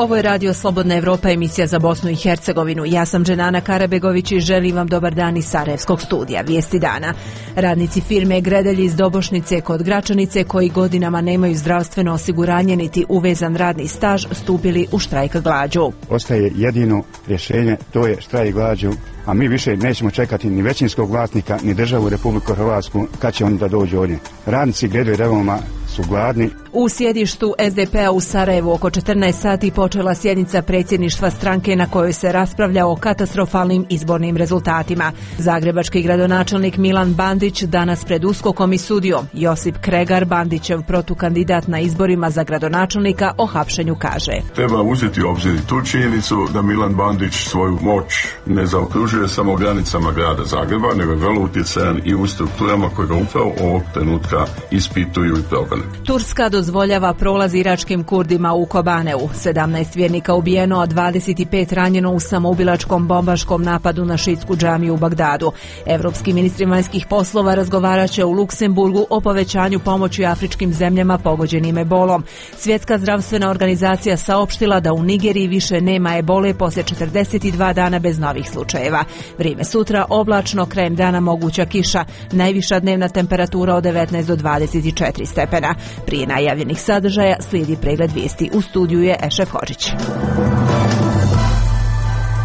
Ovo je Radio Slobodna Evropa, emisija za Bosnu i Hercegovinu. Ja sam Dženana Karabegović i želim vam dobar dan iz Sarajevskog studija. Vijesti dana. Radnici firme Gredelj iz Dobošnice kod Gračanice, koji godinama nemaju zdravstveno osiguranje niti uvezan radni staž, stupili u štrajk glađu. Ostaje jedino rješenje, to je štrajk glađu, a mi više nećemo čekati ni većinskog vlasnika, ni državu Republiku Hrvatsku, kad će oni da dođu ovdje. Radnici Gredelj Revoma su gladni. U sjedištu SDP-a u Sarajevu oko 14 sati počela sjednica predsjedništva stranke na kojoj se raspravlja o katastrofalnim izbornim rezultatima. Zagrebački gradonačelnik Milan Bandić danas pred USKOK-om i sudio. Josip Kregar, Bandićev protukandidat na izborima za gradonačelnika, o hapšenju kaže: Treba uzeti u obzir tu činjenicu da Milan Bandić svoju moć ne zaokružuje samo granicama grada Zagreba, nego je vrlo utjecajan i u strukturama koje ga upravo ovog trenutka ispituju i progone. Turska dozvoljava prolaz iračkim Kurdima u Kobaneu. 17 vjernika ubijeno, a 25 ranjeno u samoubilačkom bombaškom napadu na šiitsku džamiju u Bagdadu. Evropski ministri vanjskih poslova razgovarat će u Luksemburgu o povećanju pomoći afričkim zemljama pogođenim ebolom. Svjetska zdravstvena organizacija saopštila da u Nigeriji više nema ebole poslije 42 dana bez novih slučajeva. Vrijeme sutra oblačno, krajem dana moguća kiša. Najviša dnevna temperatura od 19 do 24 stepena. Prije najavljenih sadržaja slijedi pregled vijesti. U studiju je Ešef Hodžić.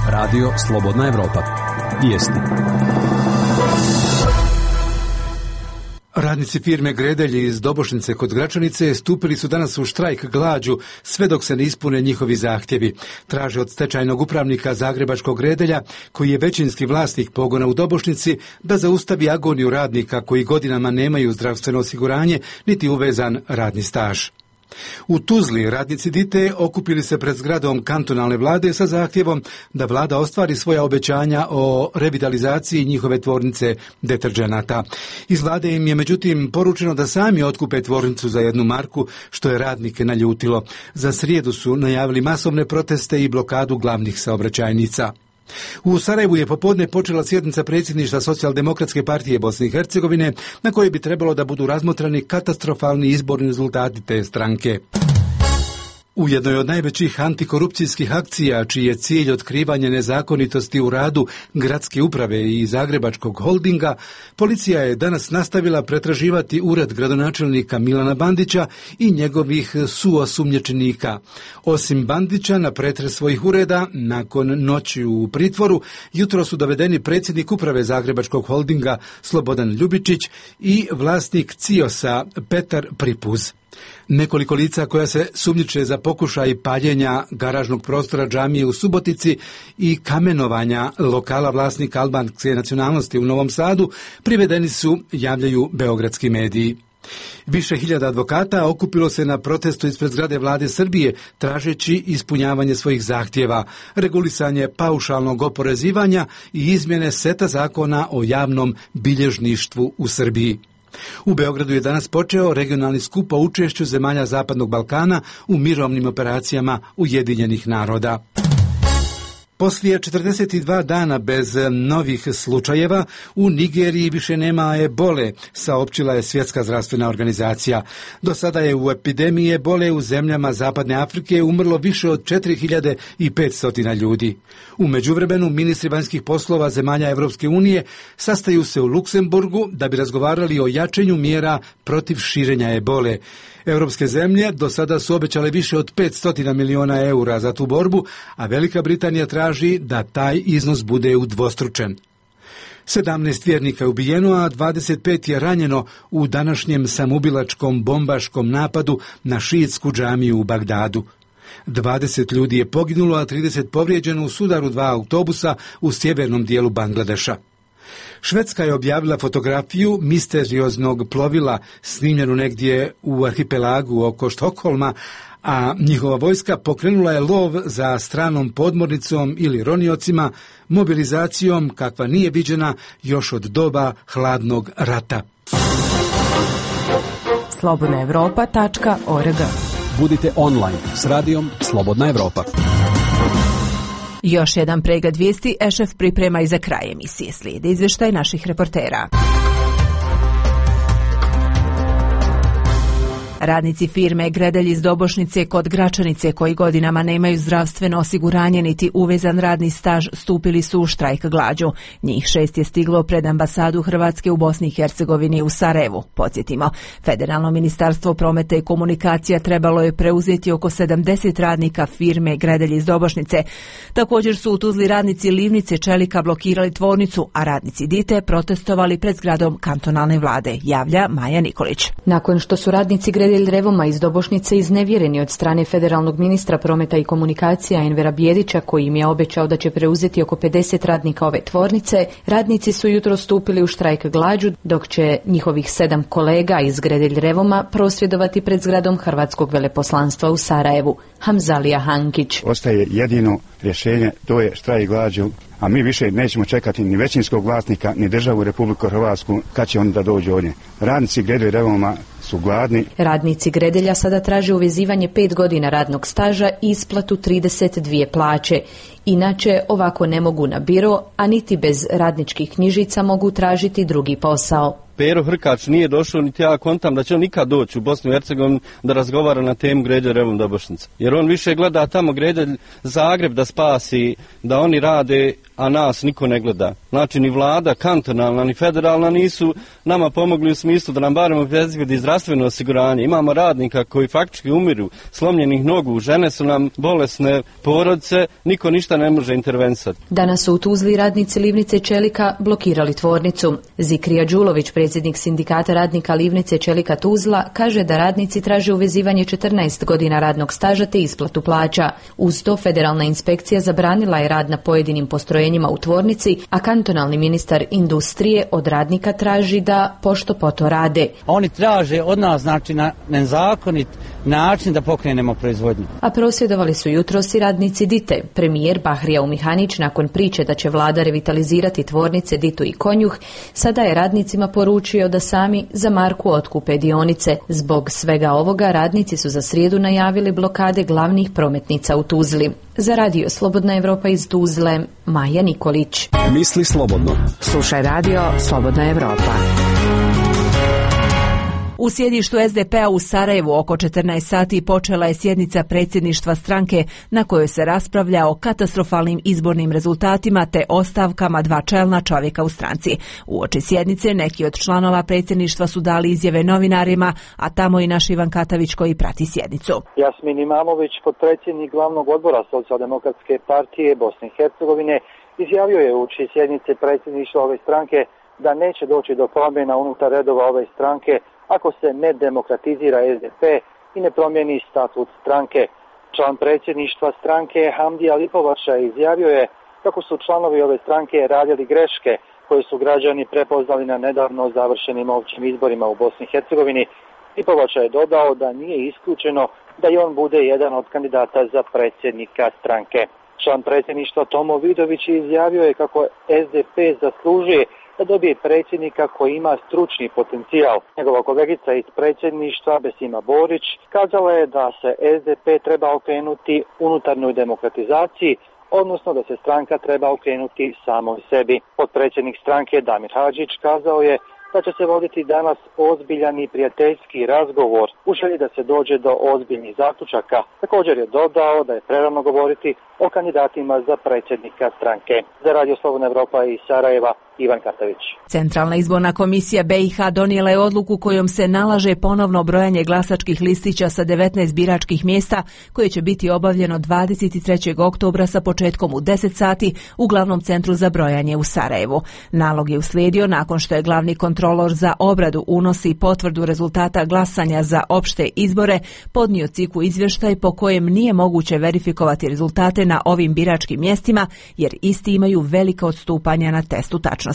Radio Slobodna Evropa. Vijesti. Radnici firme Gredelj iz Dobošnice kod Gračanice stupili su danas u štrajk glađu sve dok se ne ispune njihovi zahtjevi. Traže od stečajnog upravnika Zagrebačkog Gredelja, koji je većinski vlasnik pogona u Dobošnici, da zaustavi agoniju radnika koji godinama nemaju zdravstveno osiguranje niti uvezan radni staž. U Tuzli radnici Dite okupili se pred zgradom kantonalne vlade sa zahtjevom da vlada ostvari svoja obećanja o revitalizaciji njihove tvornice deterdženata. Iz vlade im je međutim poručeno da sami otkupe tvornicu za 1 marku, što je radnike naljutilo. Za srijedu su najavili masovne proteste i blokadu glavnih saobraćajnica. U Sarajevu je popodne počela sjednica predsjedništva Socijaldemokratske partije Bosne i Hercegovine, na kojoj bi trebalo da budu razmotrani katastrofalni izborni rezultati te stranke. U jednoj od najvećih antikorupcijskih akcija, čiji je cilj otkrivanje nezakonitosti u radu gradske uprave i Zagrebačkog holdinga, policija je danas nastavila pretraživati ured gradonačelnika Milana Bandića i njegovih suosumnjičenika. Osim Bandića, na pretres svojih ureda, nakon noći u pritvoru, jutro su dovedeni predsjednik uprave Zagrebačkog holdinga Slobodan Ljubičić i vlasnik CIOS-a Petar Pripuz. Nekoliko lica koja se sumnjiče za pokušaj paljenja garažnog prostora džamije u Subotici i kamenovanja lokala vlasnika albanske nacionalnosti u Novom Sadu privedeni su, javljaju beogradski mediji. Više hiljada advokata okupilo se na protestu ispred zgrade vlade Srbije, tražeći ispunjavanje svojih zahtjeva, regulisanje paušalnog oporezivanja i izmjene seta zakona o javnom bilježništvu u Srbiji. U Beogradu je danas počeo regionalni skup o učešću zemalja Zapadnog Balkana u mirovnim operacijama Ujedinjenih naroda. Poslije 42 dana bez novih slučajeva u Nigeriji više nema ebole, saopćila je Svjetska zdravstvena organizacija. Do sada je u epidemiji ebole u zemljama Zapadne Afrike umrlo više od 4500 ljudi. U međuvremenu ministri vanjskih poslova zemalja Evropske unije sastaju se u Luksemburgu da bi razgovarali o jačanju mjera protiv širenja ebole. Europske zemlje do sada su obećale više od 500 miliona eura za tu borbu, a Velika Britanija traži da taj iznos bude udvostručen. 17 vjernika je ubijeno, a 25 je ranjeno u današnjem samoubilačkom bombaškom napadu na šiitsku džamiju u Bagdadu. 20 ljudi je poginulo, a 30 povrijeđeno u sudaru 2 autobusa u sjevernom dijelu Bangladeša. Švedska je objavila fotografiju misterioznog plovila snimljenu negdje u arhipelagu oko Štokholma, a njihova vojska pokrenula je lov za stranom podmornicom ili roniocima, mobilizacijom kakva nije viđena još od doba hladnog rata. slobodnaevropa.org. Budite online s radijom Slobodna Evropa. Još jedan pregled vijesti Ešef priprema i za kraj emisije. Slijede izvještaj naših reportera. Radnici firme Gredelj iz Dobošnice kod Gračanice, koji godinama nemaju zdravstveno osiguranje niti uvezan radni staž, stupili su u štrajk glađu. Njih 6 je stiglo pred ambasadu Hrvatske u Bosni i Hercegovini u Sarajevu. Podsjetimo, Federalno ministarstvo prometa i komunikacija trebalo je preuzeti oko 70 radnika firme Gredelj iz Dobošnice. Također su u Tuzli radnici Livnice Čelika blokirali tvornicu, a radnici Dite protestovali pred zgradom kantonalne vlade, javlja Maja Nikolić. Nakon što su radnici Gredelj Revoma iz Dobošnice iznevjereni od strane federalnog ministra prometa i komunikacija Envera Bijedića, koji im je obećao da će preuzeti oko 50 radnika ove tvornice, radnici su jutro stupili u štrajk glađu, dok će njihovih 7 kolega iz Gredelj Revoma prosvjedovati pred zgradom Hrvatskog veleposlanstva u Sarajevu. Hamzalija Hankić. Ostaje jedino rješenje, to je štrajk glađu, a mi više nećemo čekati ni većinskog vlasnika, ni državu Republiku Hrvatsku kad će oni da dođu ovdje. Radnici Gredelj Revoma su gladni. Radnici Gredelja sada traže uvezivanje 5 godina radnog staža i isplatu 32 plaće. Inače, ovako ne mogu na biro, a niti bez radničkih knjižica mogu tražiti drugi posao. Pero Hrkač nije došao, niti ja kontam da će on nikad doći u Bosnu i Hercegovinu da razgovara na temu Gredelj Revom Dobošnica. Jer on više gleda tamo Gredelj Zagreb da spasi, da oni rade, a nas niko ne gleda. Znači ni vlada, kantonalna, ni federalna nisu nama pomogli u smislu da nam barem obezbedi zdravstveno osiguranje. Imamo radnika koji faktički umiru, slomljenih nogu, žene su nam bolesne, porodice, niko ništa ne može intervenisati. Danas su u Tuzli radnici Livnice Čelika blokirali tvornicu. Zikrija Đulović, predsjednik sindikata radnika Livnice Čelika Tuzla, kaže da radnici traže uvezivanje 14 godina radnog staža te isplatu plaća. Uz to federalna inspekcija zabranila je rad na pojedinim postrojenjima u tvornici, a kantonalni ministar industrije od radnika traži da pošto poto rade. Oni traže od nas, znači, na nezakonit način da pokrenemo proizvodnju. A prosvjedovali su jutros i radnici Dite. Premijer Bahrija Umihanić, nakon priče da će vlada revitalizirati tvornice Ditu i Konjuh, sada je radnicima poručio da sami za marku otkupe dionice. Zbog svega ovoga radnici su za srijedu najavili blokade glavnih prometnica u Tuzli. Za radio Slobodna Evropa iz Tuzle, Maja Nikolić. Misli slobodno. Slušaj radio Slobodna Evropa. U sjedištu SDP-a u Sarajevu oko 14 sati počela je sjednica predsjedništva stranke na kojoj se raspravlja o katastrofalnim izbornim rezultatima te ostavkama 2 čelna čovjeka u stranci. Uoči sjednice neki od članova predsjedništva su dali izjave novinarima, a tamo i naš Ivan Katavić koji prati sjednicu. Jasmin Imamović, potpredsjednik glavnog odbora Socijaldemokratske partije Bosne i Hercegovine, izjavio je uoči sjednice predsjedništva ove stranke da neće doći do promjena unutar redova ove stranke ako se ne demokratizira SDP i ne promijeni statut stranke. Član predsjedništva stranke Hamdija Lipovača izjavio je kako su članovi ove stranke radili greške koje su građani prepoznali na nedavno završenim općim izborima u Bosni i Hercegovini. Lipovača je dodao da nije isključeno da i on bude jedan od kandidata za predsjednika stranke. Član predsjedništva Tomo Vidović izjavio je kako SDP zaslužuje da dobije predsjednika koji ima stručni potencijal. Njegova kolegica iz predsjedništva Besima Borić kazala je da se SDP treba okrenuti unutarnjoj demokratizaciji, odnosno da se stranka treba okrenuti samoj sebi. Potpredsjednik stranke Damir Hadžić kazao je da će se voditi danas ozbiljan i prijateljski razgovor u želji da se dođe do ozbiljnih zaključaka. Također je dodao da je prerano govoriti o kandidatima za predsjednika stranke. Za radio Slobodna Evropa iz Sarajeva, Ivan Katavić. Centralna izborna komisija BiH donijela je odluku kojom se nalaže ponovno brojanje glasačkih listića sa 19 biračkih mjesta koje će biti obavljeno 23. oktobra sa početkom u 10 sati u glavnom centru za brojanje u Sarajevu. Nalog je uslijedio nakon što je glavni kontrolor za obradu, unos i potvrdu rezultata glasanja za opšte izbore podnio CIK-u izvještaj po kojem nije moguće verifikovati rezultate na ovim biračkim mjestima jer isti imaju velika odstupanja na testu tačnosti.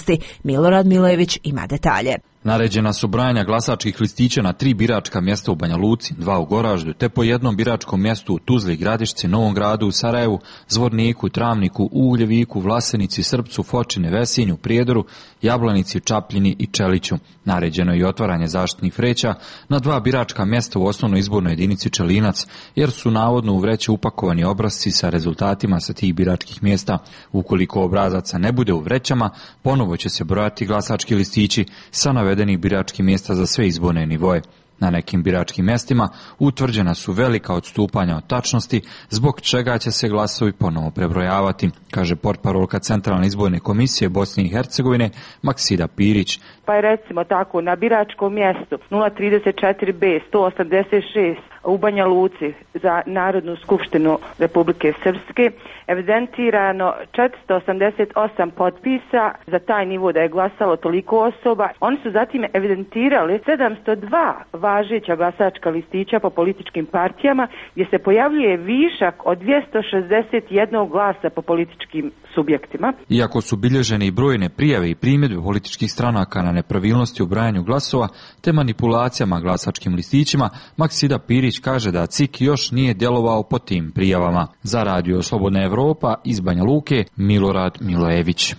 Milorad Milojević ima detalje. Naređena su brojanja glasačkih listića na 3 biračka mjesta u Banja Luci, 2 u Goraždu, te po jednom biračkom mjestu u Tuzli, Gradišci, Novom Gradu, u Sarajevu, Zvorniku, Travniku, Ugljeviku, Vlasenici, Srpcu, Fočine, Vesinju, Prijedoru, Jablanici, Čapljini i Čeliću. Naređeno je i otvaranje zaštitnih vreća na 2 biračka mjesta u osnovnoj izbornoj jedinici Čelinac, jer su navodno u vreće upakovani obrasci sa rezultatima sa tih biračkih mjesta. Ukoliko obrazaca ne bude u vrećama, ponovo će se brojati glasački listići sa navedenih biračkih mjesta za sve izborne nivoje. Na nekim biračkim mjestima utvrđena su velika odstupanja od tačnosti, zbog čega će se glasovi ponovo prebrojavati, kaže portparolka Centralne izborne komisije Bosne i Hercegovine Maksida Pirić. Pa je recimo tako na biračkom mjestu 034B 186 u Banja Luci za Narodnu skupštinu Republike Srpske evidentirano 488 potpisa za taj nivo da je glasalo toliko osoba. Oni su zatim evidentirali 702 važeća glasačka listića po političkim partijama gdje se pojavljuje višak od 261 glasa po političkim subjektima. Iako su bilježene i brojne prijave i primjedbe političkih stranaka na nepravilnosti u brajanju glasova te manipulacijama glasačkim listićima, Maksida Pirić kaže da CIK još nije djelovao po tim prijavama. Za Radio Slobodna Evropa iz Banja Luke, Milorad Milojević.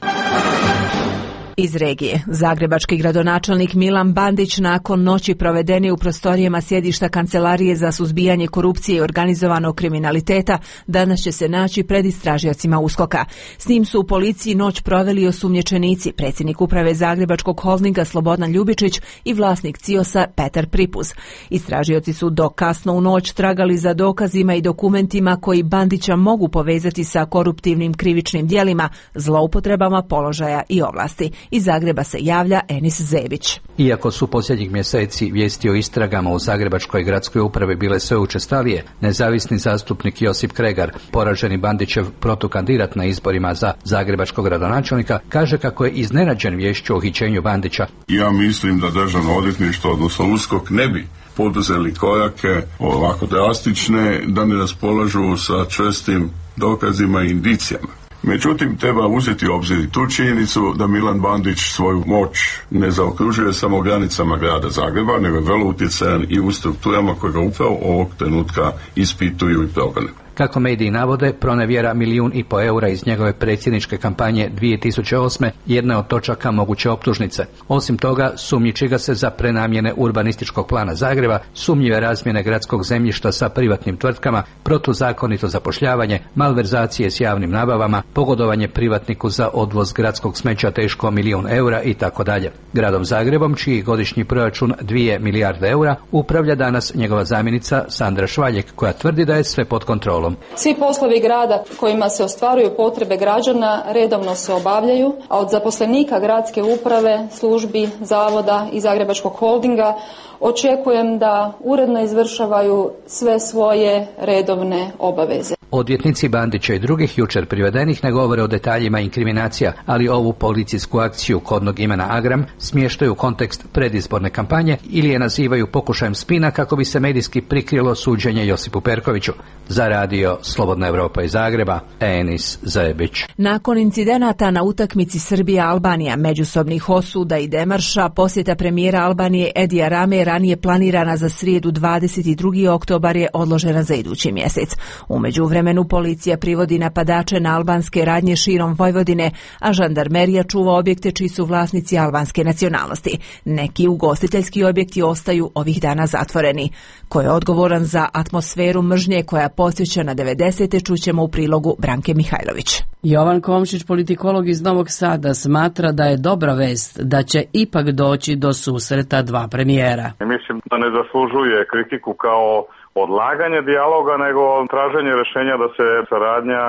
Iz regije. Zagrebački gradonačelnik Milan Bandić nakon noći provedene u prostorijama sjedišta Kancelarije za suzbijanje korupcije i organizovanog kriminaliteta danas će se naći pred istražiocima USKOK-a. S njim su u policiji noć proveli osumnjičenici, predsjednik uprave Zagrebačkog holdinga Slobodan Ljubičić i vlasnik CIOS-a Petar Pripuz. Istražioci su do kasno u noć tragali za dokazima i dokumentima koji Bandića mogu povezati sa koruptivnim krivičnim djelima, zloupotrebama položaja i ovlasti. Iz Zagreba se javlja Enis Zebić. Iako su posljednjih mjeseci vijesti o istragama u Zagrebačkoj gradskoj upravi bile sve učestalije, nezavisni zastupnik Josip Kregar, poraženi Bandićev protukandidat na izborima za zagrebačkog gradonačelnika, kaže kako je iznenađen viješću o uhićenju Bandića. Ja mislim da Državno odvjetništvo, odnosno USKOK, ne bi poduzeli korake ovako drastične da ne raspolažu sa čvrstim dokazima i indicijama. Međutim, treba uzeti u obzir i tu činjenicu da Milan Bandić svoju moć ne zaokružuje samo granicama grada Zagreba, nego je vrlo utjecajan i u strukturama koje ga upravo ovog trenutka ispituju i progone. Kako mediji navode, pronevjera 1,5 milijuna eura iz njegove predsjedničke kampanje 2008. jedna od točaka moguće optužnice. Osim toga, sumnjiči ga se za prenamjene urbanističkog plana Zagreba, sumnjive razmjene gradskog zemljišta sa privatnim tvrtkama, protuzakonito zapošljavanje, malverzacije s javnim nabavama, pogodovanje privatniku za odvoz gradskog smeća teško 1 milijun eura itd. Gradom Zagrebom, čiji godišnji proračun 2 milijarde eura, upravlja danas njegova zamjenica Sandra Švaljek, koja tvrdi da je sve pod kontrolom. Svi poslovi grada kojima se ostvaruju potrebe građana redovno se obavljaju, a od zaposlenika gradske uprave, službi, zavoda i Zagrebačkog holdinga očekujem da uredno izvršavaju sve svoje redovne obaveze. Odvjetnici Bandića i drugih jučer privedenih ne govore o detaljima inkriminacija, ali ovu policijsku akciju kodnog imena Agram smještaju u kontekst predizborne kampanje ili je nazivaju pokušajem spina kako bi se medijski prikrilo suđenje Josipu Perkoviću. Za Radio Slobodna Evropa iz Zagreba, Enis Zebić. Nakon incidenata na utakmici Srbija-Albanija, međusobnih osuda i demarša, posjeta premijera Albanije Edija Rame ranije planirana za srijedu 22. oktobar je odložena za idući mjesec. U međuvremenu policija privodi napadače na albanske radnje širom Vojvodine, a žandarmerija čuva objekte čiji su vlasnici albanske nacionalnosti. Neki ugostiteljski objekti ostaju ovih dana zatvoreni. Ko je odgovoran za atmosferu mržnje koja podsjeća na 90. čućemo u prilogu Branke Mihajlović. Jovan Komšić, politikolog iz Novog Sada, smatra da je dobra vest da će ipak doći do susreta dva premijera. Mislim da ne zaslužuje kritiku kao odlaganje dijaloga, nego traženje rješenja da se saradnja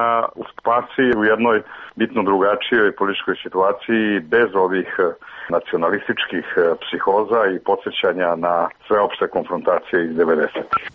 spasi u jednoj bitno drugačijoj političkoj situaciji bez ovih nacionalističkih psihoza i podsjećanja na sveopšte konfrontacije iz 90.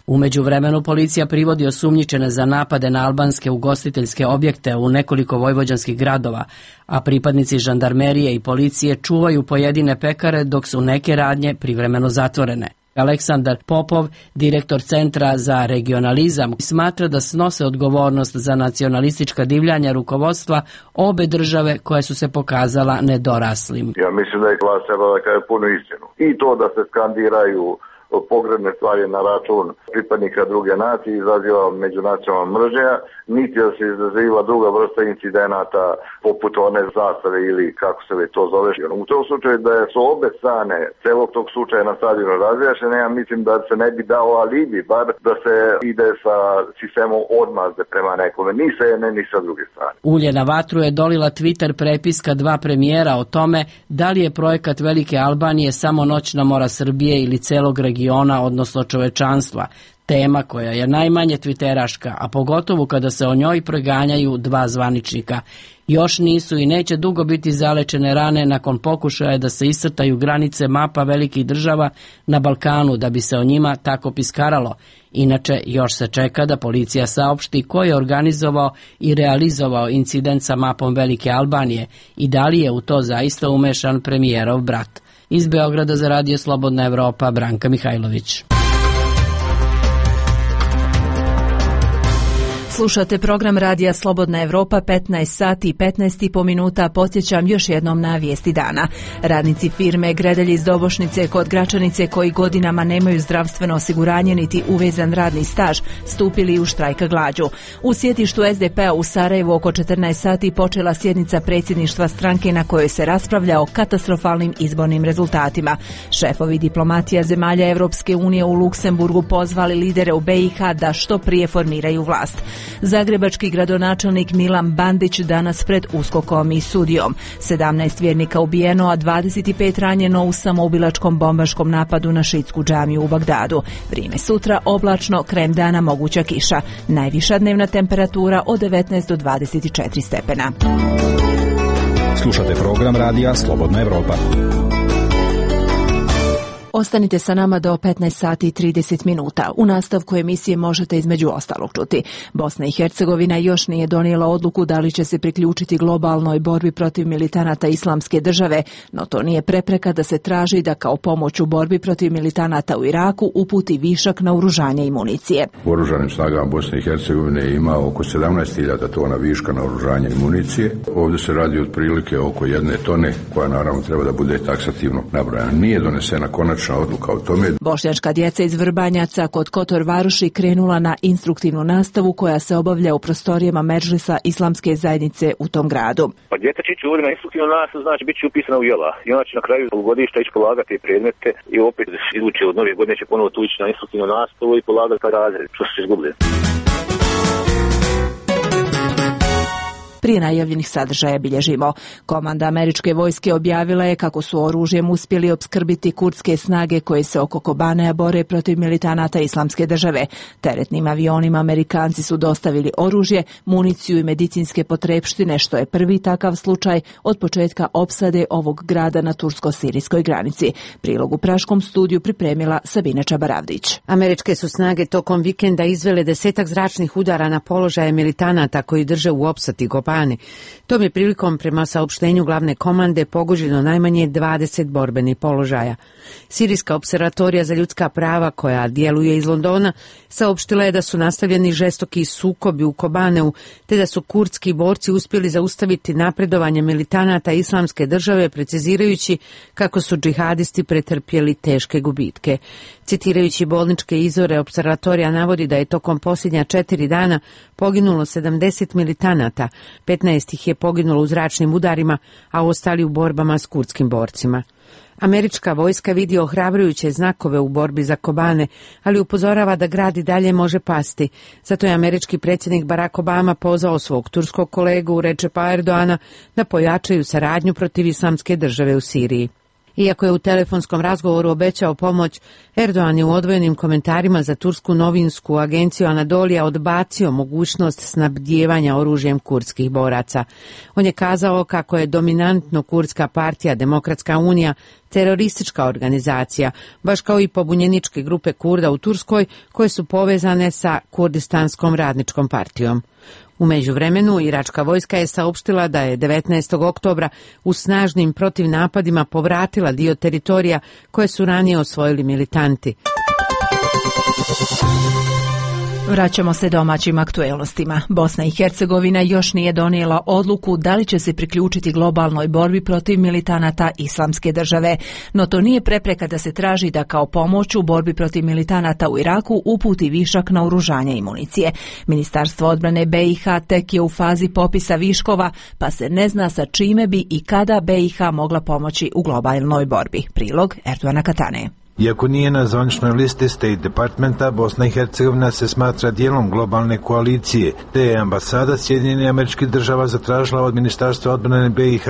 U međuvremenu policija privodi osumnjičene za napade na albanske ugostiteljske objekte u nekoliko vojvođanskih gradova, a pripadnici žandarmerije i policije čuvaju pojedine pekare dok su neke radnje privremeno zatvorene. Aleksandar Popov, direktor Centra za regionalizam, smatra da snose odgovornost za nacionalistička divljanja rukovodstva obe države koje su se pokazala nedoraslim. Ja mislim da je vlast treba da kaže punu istinu. I to da se skandiraju pogrebne stvari na račun pripadnika druge nacije izaziva međunacionalna mržnja, niti da se izaziva druga vrsta incidenata poput one zastave ili kako se već to zove. U tom slučaju da su obe strane celog tog slučaja na stadionu razjašnjene, ja mislim da se ne bi dao alibi, bar da se ide sa sistemom odmazde prema nekome, ni sa jedne ni sa druge strane. Ulje na vatru je dolila Twitter prepiska dva premijera o tome da li je projekat Velike Albanije samo noćna mora Srbije ili celog regiona, odnosno čovečanstva. Tema koja je najmanje twiteraška, a pogotovo kada se o njoj proganjaju dva zvaničnika. Još nisu i neće dugo biti zalečene rane nakon pokušaja da se iscrtaju granice mapa velikih država na Balkanu da bi se o njima tako piskaralo. Inače, još se čeka da policija saopšti ko je organizovao i realizovao incident sa mapom Velike Albanije i da li je u to zaista umešan premijerov brat. Iz Beograda za Radio Slobodna Evropa, Branka Mihajlović. Slušate program Radija Slobodna Evropa, 15 sati i 15,5 minuta. Podsjećam još jednom na vijesti dana. Radnici firme Gredelj iz Dobošnice kod Gračanice, koji godinama nemaju zdravstveno osiguranje niti uvezan radni staž, stupili u štrajk glađu. U sjedištu SDP-a u Sarajevu oko 14 sati počela sjednica predsjedništva stranke na kojoj se raspravlja o katastrofalnim izbornim rezultatima. Šefovi diplomatija zemalja Evropske unije u Luksemburgu pozvali lidere u BiH da što prije formiraju vlast. Zagrebački gradonačelnik Milan Bandić danas pred USKOK-om i sudijom. 17 vjernika ubijeno, a 25 ranjeno u samoubilačkom bombaškom napadu na šiitsku džamiju u Bagdadu. Vrijeme sutra oblačno, krajem dana moguća kiša. Najviša dnevna temperatura od 19 do 24 stepena. Slušate program Radija Slobodna Evropa. Ostanite sa nama do 15 sati i 30 minuta. U nastavku emisije možete između ostalog čuti. Bosna i Hercegovina još nije donijela odluku da li će se priključiti globalnoj borbi protiv militanata Islamske države, no to nije prepreka da se traži da kao pomoć u borbi protiv militanata u Iraku uputi višak naoružanja i municije. U oružanim snagama Bosne i Hercegovine ima oko 17.000 tona viška naoružanja i municije. Ovdje se radi otprilike oko 1 tone, koja naravno treba da bude taksativno nabrojana. Nije donesena konačna odluka o tome. Bošnjačka djeca iz Vrbanjaca kod Kotor Varoši krenula na instruktivnu nastavu koja se obavlja u prostorijama Medžlisa Islamske zajednice u tom gradu. Pa djeca će ovdje na instruktivnu nastavu, znači bit će upisana u jela. I ona će na kraju polugodišta ići polagati predmete i opet iduće od nove godine će ponovo tući na instruktivnu nastavu i polagati taj razred što su se izgubili. Prije najavljenih sadržaja bilježimo. Komanda američke vojske objavila je kako su oružjem uspjeli opskrbiti kurdske snage koje se oko Kobanea bore protiv militanata Islamske države. Teretnim avionima Amerikanci su dostavili oružje, municiju i medicinske potrepštine, što je prvi takav slučaj od početka opsade ovog grada na tursko-sirijskoj granici. Prilog u praškom studiju pripremila Sabina Čabaravdić. Američke su snage tokom vikenda izvele 10 zračnih udara na položaje militanata koji drže u opsadi Kobane. Tom je prilikom, prema saopštenju glavne komande, pogođeno najmanje 20 borbenih položaja. Sirijska observatorija za ljudska prava, koja djeluje iz Londona, saopštila je da su nastavljeni žestoki sukobi u Kobaneu, te da su kurdski borci uspjeli zaustaviti napredovanje militanata Islamske države, precizirajući kako su džihadisti pretrpjeli teške gubitke. Citirajući bolničke izvore, observatorija navodi da je tokom posljednja 4 dana poginulo 70 militanata, 15 ih je poginulo u zračnim udarima, a ostali u borbama s kurdskim borcima. Američka vojska vidi ohrabrujuće znakove u borbi za Kobane, ali upozorava da grad i dalje može pasti. Zato je američki predsjednik Barack Obama pozvao svog turskog kolegu Recepa Erdoana da pojačaju saradnju protiv Islamske države u Siriji. Iako je u telefonskom razgovoru obećao pomoć, Erdogan je u odvojenim komentarima za tursku novinsku agenciju Anadolija odbacio mogućnost snabdijevanja oružjem kurdskih boraca. On je kazao kako je dominantno kurdska partija Demokratska unija teroristička organizacija, baš kao i pobunjeničke grupe Kurda u Turskoj koje su povezane sa Kurdistanskom radničkom partijom. U međuvremenu, iračka vojska je saopštila da je 19. oktobra u snažnim protivnapadima povratila dio teritorija koje su ranije osvojili militanti. Vraćamo se domaćim aktuelnostima. Bosna i Hercegovina još nije donijela odluku da li će se priključiti globalnoj borbi protiv militanata Islamske države, no to nije prepreka da se traži da kao pomoć u borbi protiv militanata u Iraku uputi višak naoružanja i municije. Ministarstvo odbrane BiH tek je u fazi popisa viškova, pa se ne zna sa čime bi i kada BiH mogla pomoći u globalnoj borbi. Prilog Erdoana Katane. Iako nije na zvaničnoj listi State Departmenta, Bosna i Hercegovina se smatra dijelom globalne koalicije, te je ambasada Sjedinjenih Američkih Država zatražila od Ministarstva odbrane BiH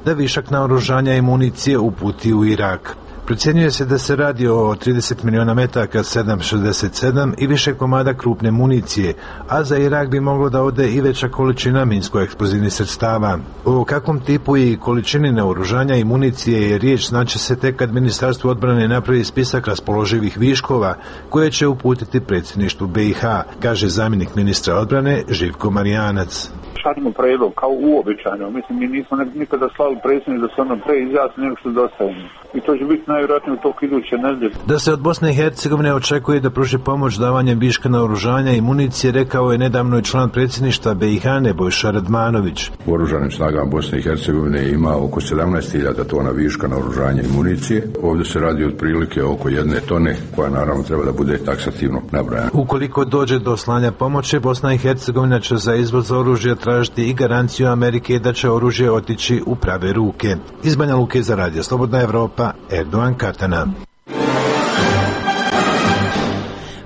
da višak naoružanja i municije uputi u Irak. Procjenjuje se da se radi o 30 miliona metaka 7,67 i više komada krupne municije, a za Irak bi moglo da ode i veća količina minsko-eksplozivnih sredstava. O kakvom tipu i količini naoružanja i municije je riječ znaće se tek kad Ministarstvo odbrane napravi spisak raspoloživih viškova koje će uputiti predsjedništvu BiH, kaže zamjenik ministra odbrane Živko Marijanac. Šaljemo prijedlog kao uobičajeno. Mislim, mi nismo nikada slali predsjednik da se ono pre izjasni nego što dostavimo. I to će biti najvjerojatnije u toku iduće nedelje. Da se od Bosne i Hercegovine očekuje da pruži pomoć davanjem viška naoružanja i municije, rekao je nedavno i član predsjedništva BiH Nebojša Radmanović. U oružanim snagama Bosne i Hercegovine ima oko 17.000 tona viška naoružanja i municije. Ovdje se radi otprilike oko 1 tone, koja naravno treba da bude taksativno nabrojana. Ukoliko dođe do slanja pomoći, Bosna i Hercegovina će za izvoz oružja tražiti i garanciju Amerike da će oružje otići u prave ruke. Iz Banja Luke za Radio Slobodna Evropa, Erdoan Katana.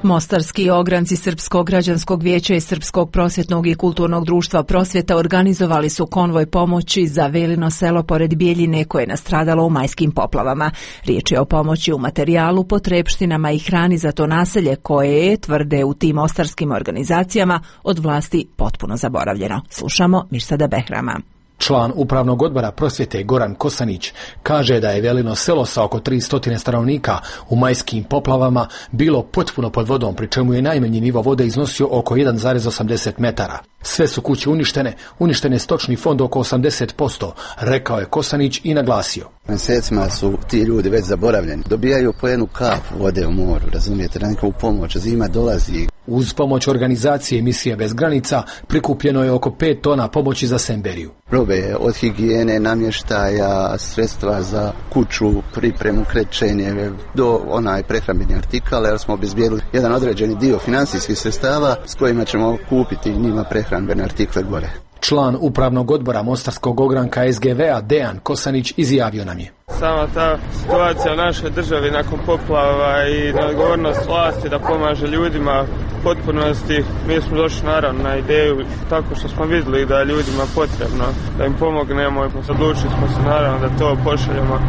Mostarski ogranci Srpskog građanskog vijeća i Srpskog prosvjetnog i kulturnog društva Prosvjeta organizovali su konvoj pomoći za Velino selo pored Bijeljine koje je nastradalo u majskim poplavama. Riječ je o pomoći u materijalu, potrepštinama i hrani za to naselje koje je, tvrde u tim mostarskim organizacijama, od vlasti potpuno zaboravljeno. Slušamo Mirsada Behrama. Član upravnog odbora Prosvjete Goran Kosanić kaže da je Velino selo sa oko 300 stanovnika u majskim poplavama bilo potpuno pod vodom, pri čemu je najmanji nivo vode iznosio oko 1,80 metara. Sve su kuće uništene stočni fond oko 80%, rekao je Kosanić i naglasio. Mjesecima su ti ljudi već zaboravljeni. Dobijaju po jednu kap vode u moru, razumijete, na nikovu pomoć, zima dolazi. Uz pomoć organizacije Misije bez granica prikupljeno je oko 5 tona pomoći za Semberiju. Robe od higijene, namještaja, sredstva za kuću, pripremu, krečenje, do prehrambeni artikala, jer smo obezbijedili jedan određeni dio financijskih sredstava s kojima ćemo kupiti njima prehrambene artikle gore. Član upravnog odbora Mostarskog ogranka SGV-a Dejan Kosanić izjavio nam je. Sama ta situacija u našoj državi nakon poplava i neodgovornost vlasti da pomaže ljudima u potpunosti, mi smo došli naravno na ideju tako što smo vidjeli da je ljudima potrebno da im pomognemo i odlučili smo se naravno da to pošaljemo,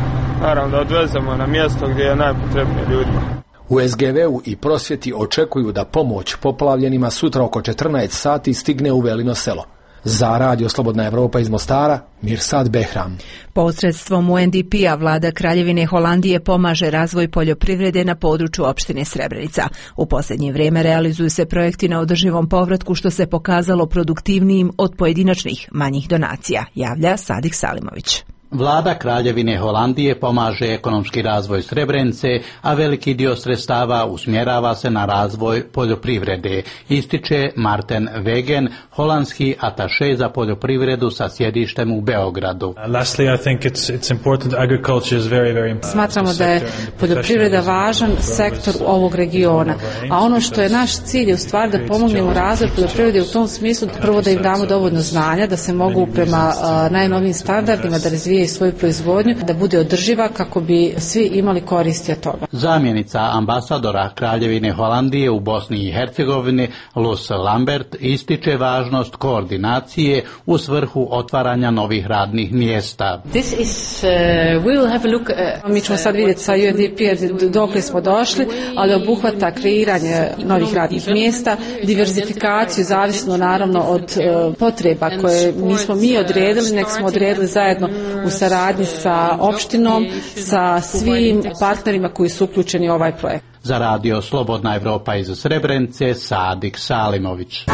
naravno da odvezemo na mjesto gdje je najpotrebnije ljudima. U SGV-u i Prosvjeti očekuju da pomoć poplavljenima sutra oko 14 sati stigne u Velino selo. Za Radio Slobodna Evropa iz Mostara, Mirsad Behram. Posredstvom UNDP-a vlada Kraljevine Holandije pomaže razvoj poljoprivrede na području opštine Srebrenica. U posljednje vrijeme realizuju se projekti na održivom povratku što se pokazalo produktivnijim od pojedinačnih manjih donacija, javlja Sadik Salimović. Vlada Kraljevine Holandije pomaže ekonomski razvoj Srebrenice, a veliki dio sredstava usmjerava se na razvoj poljoprivrede, ističe Marten Wegen, holandski ataše za poljoprivredu sa sjedištem u Beogradu. Smatramo da je poljoprivreda važan sektor ovog regiona, a ono što je naš cilj je u stvari da pomognemo razvoj poljoprivrede u tom smislu, prvo da im damo dovoljno znanja, da se mogu prema najnovijim standardima da razvijaju svoju proizvodnju, da bude održiva kako bi svi imali koristi od toga. Zamjenica ambasadora Kraljevine Holandije u Bosni i Hercegovini, Luz Lambert, ističe važnost koordinacije u svrhu otvaranja novih radnih mjesta. Mi ćemo sad vidjeti sa UNDP dokle smo došli, ali obuhvata kreiranje novih radnih mjesta, diverzifikaciju, zavisno naravno od potreba koje nismo mi odredili, nek smo odredili zajedno u saradnji sa opštinom, sa svim partnerima koji su uključeni u ovaj projekt. Za Radio Slobodna Evropa iz Srebrenice, Sadik Salimović.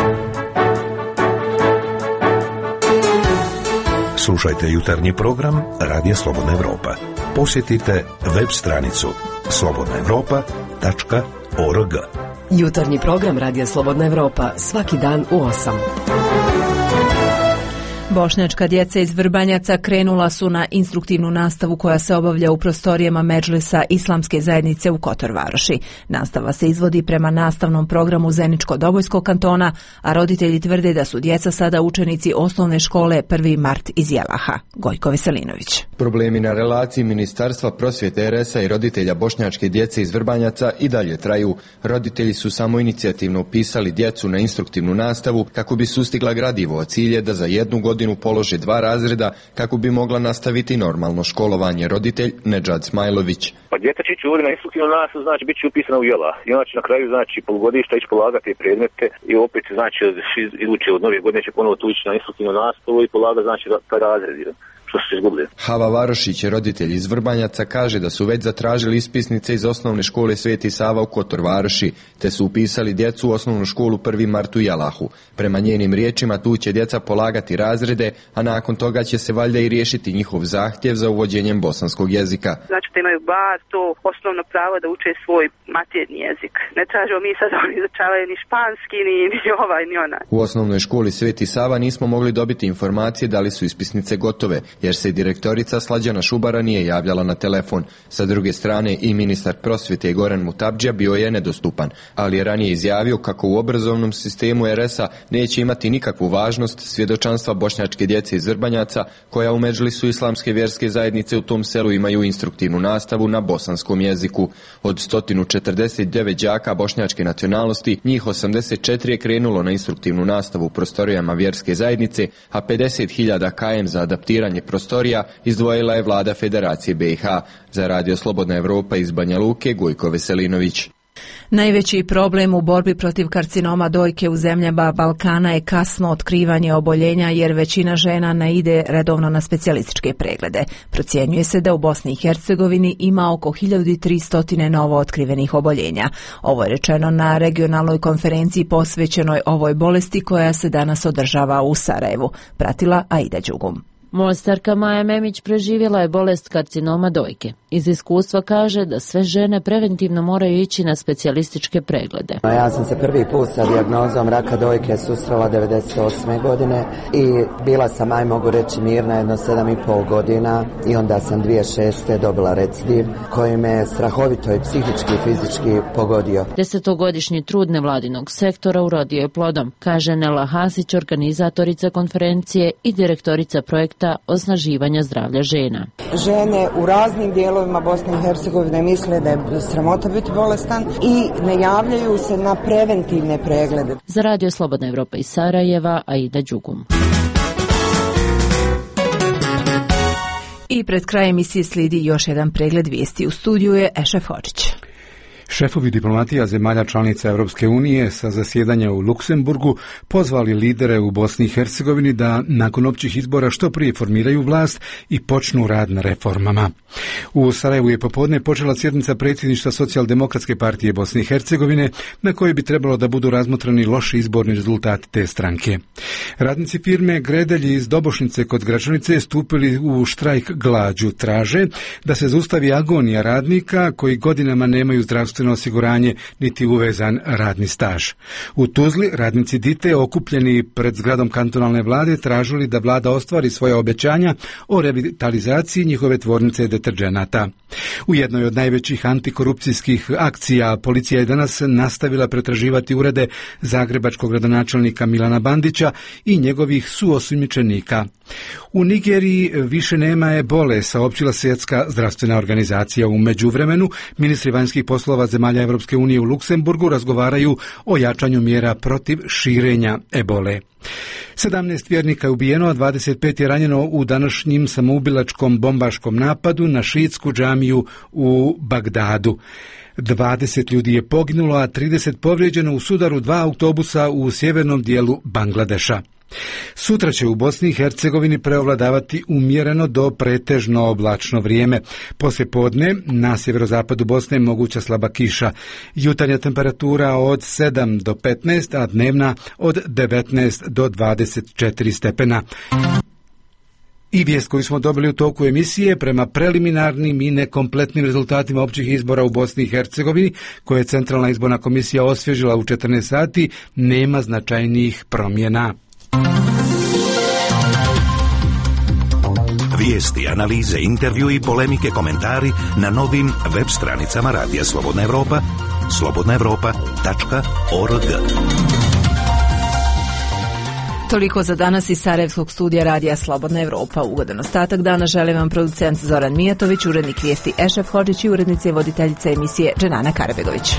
Slušajte jutarnji program Radija Slobodna Evropa. Posjetite web stranicu slobodnaevropa.org. Jutarnji program Radija Slobodna Evropa svaki dan u 8. Bošnjačka djeca iz Vrbanjaca krenula su na instruktivnu nastavu koja se obavlja u prostorijama Medžlisa Islamske zajednice u Kotor Varoši. Nastava se izvodi prema nastavnom programu Zeničko-Dobojskog kantona, a roditelji tvrde da su djeca sada učenici osnovne škole 1. mart iz Jelaha. Gojko Veselinović. Problemi na relaciji Ministarstva prosvjete RS-a i roditelja bošnjačke djece iz Vrbanjaca i dalje traju. Roditelji su samoinicijativno upisali djecu na instruktivnu nastavu kako bi sustigla gradivo, a cilj je da za jednu godinu polože 2 razreda kako bi mogla nastaviti normalno školovanje. Roditelj Nedžad Smajlović. Pa djeca će ići ovdje na instruktivnu nastavu, znači bit će upisana u Jela. I ona će na kraju, znači, polugodišta ići polagati predmete i opet, znači, iduće od nove godine će ponovo tu ići na instruktivnu nastavu i polagati, znači, taj razred. Što su izgubili. Hava Varošić, roditelj iz Vrbanjaca, kaže da su već zatražili ispisnice iz osnovne škole Sveti Sava u Kotor Varoši, te su upisali djecu u osnovnu školu 1. mart u Jalahu. Prema njenim riječima tu će djeca polagati razrede, a nakon toga će se valjda i riješiti njihov zahtjev za uvođenjem bosanskog jezika. Znači da imaju bar to osnovno pravo da uče svoj maternji jezik. Ne tražimo mi sad oni izučavaju ni španski, ni ovaj, ni onaj. U osnovnoj školi Sveti Sava nismo mogli dobiti informacije da li su ispisnice gotove, jer se direktorica Slađana Šubara nije javljala na telefon. Sa druge strane i ministar prosvjete Goran Mutabdžija bio je nedostupan, ali je ranije izjavio kako u obrazovnom sistemu RS-a neće imati nikakvu važnost svjedočanstva bošnjačke djece iz Vrbanjaca, koja u Medžlisu Islamske vjerske zajednice u tom selu imaju instruktivnu nastavu na bosanskom jeziku. Od 149 đaka bošnjačke nacionalnosti, njih 84 je krenulo na instruktivnu nastavu u prostorijama vjerske zajednice, a 50.000 km za adaptiranje prostorija izdvojila je vlada Federacije BiH. Za Radio Slobodna Evropa iz Banja Luke, Gojko Veselinović. Najveći problem u borbi protiv karcinoma dojke u zemljama Balkana je kasno otkrivanje oboljenja, jer većina žena ne ide redovno na specijalističke preglede. Procjenjuje se da u Bosni i Hercegovini ima oko 1300 novo otkrivenih oboljenja. Ovo je rečeno na regionalnoj konferenciji posvećenoj ovoj bolesti koja se danas održava u Sarajevu. Pratila Aida Đugum. Mostarka Maja Memić preživjela je bolest karcinoma dojke. Iz iskustva kaže da sve žene preventivno moraju ići na specijalističke preglede. Ja sam se prvi put sa dijagnozom raka dojke susrela 98. godine i bila sam, mogu reći, mirna jedno 7,5 godina i onda sam 2006. dobila recidiv koji me strahovito i psihički i fizički pogodio. 10-godišnji trud nevladinog sektora urodio je plodom, kaže Nela Hasić, organizatorica konferencije i direktorica projekta osnaživanja zdravlja žena. Žene u raznim dijelovima Bosne i Hercegovine misle da je sramota biti bolestan i ne javljaju se na preventivne preglede. Za Radio Slobodna Evropa iz Sarajeva, Aida Đugum. I pred krajem emisije slijedi još jedan pregled vijesti. U studiju je Ešef Hođić. Šefovi diplomatija zemalja članica Europske unije sa zasjedanja u Luksemburgu pozvali lidere u Bosni i Hercegovini da nakon općih izbora što prije formiraju vlast i počnu rad na reformama. U Sarajevu je popodne počela sjednica predsjedništva Socijaldemokratske partije Bosne i Hercegovine, na kojoj bi trebalo da budu razmotrani loši izborni rezultati te stranke. Radnici firme Gredelj iz Dobošnice kod Gračanice stupili u štrajk glađu. Traže da se zaustavi agonija radnika koji godinama nemaju zdravstveno osiguranje niti uvezan radni staž. U Tuzli radnici Dite okupljeni pred zgradom kantonalne vlade tražili da vlada ostvari svoja obećanja o revitalizaciji njihove tvornice deterdženata. U jednoj od najvećih antikorupcijskih akcija policija je danas nastavila pretraživati urede zagrebačkog gradonačelnika Milana Bandića i njegovih suosumnjičenika. U Nigeriji više nema ebole, saopćila Svjetska zdravstvena organizacija. U međuvremenu ministri vanjskih poslova zemalja Europske unije u Luksemburgu razgovaraju o jačanju mjera protiv širenja ebole. 17 vjernika je ubijeno, a 25 je ranjeno u današnjim samoubilačkom bombaškom napadu na šiitsku džamiju u Bagdadu. 20 ljudi je poginulo, a 30 povrijeđeno u sudaru 2 autobusa u sjevernom dijelu Bangladeša. Sutra će u Bosni i Hercegovini preovladavati umjereno do pretežno oblačno vrijeme. Poslijepodne na sjeverozapadu Bosne moguća slaba kiša. Jutarnja temperatura od 7 do 15, a dnevna od 19 do 24 stepena. I vijest koju smo dobili u toku emisije, prema preliminarnim i nekompletnim rezultatima općih izbora u Bosni i Hercegovini, koje je Centralna izborna komisija osvježila u 14 sati, nema značajnijih promjena. Vijesti, analize, intervju i polemike, komentari na novim web stranicama Radija Slobodna Evropa, slobodnaevropa.org. Toliko za danas iz Sarajevskog studija Radija Slobodna Evropa. Ugodan ostatak dana želim vam producent Zoran Mijatović, urednik vijesti Ešef Hodžić i urednice i voditeljice emisije Dženana Karabegović.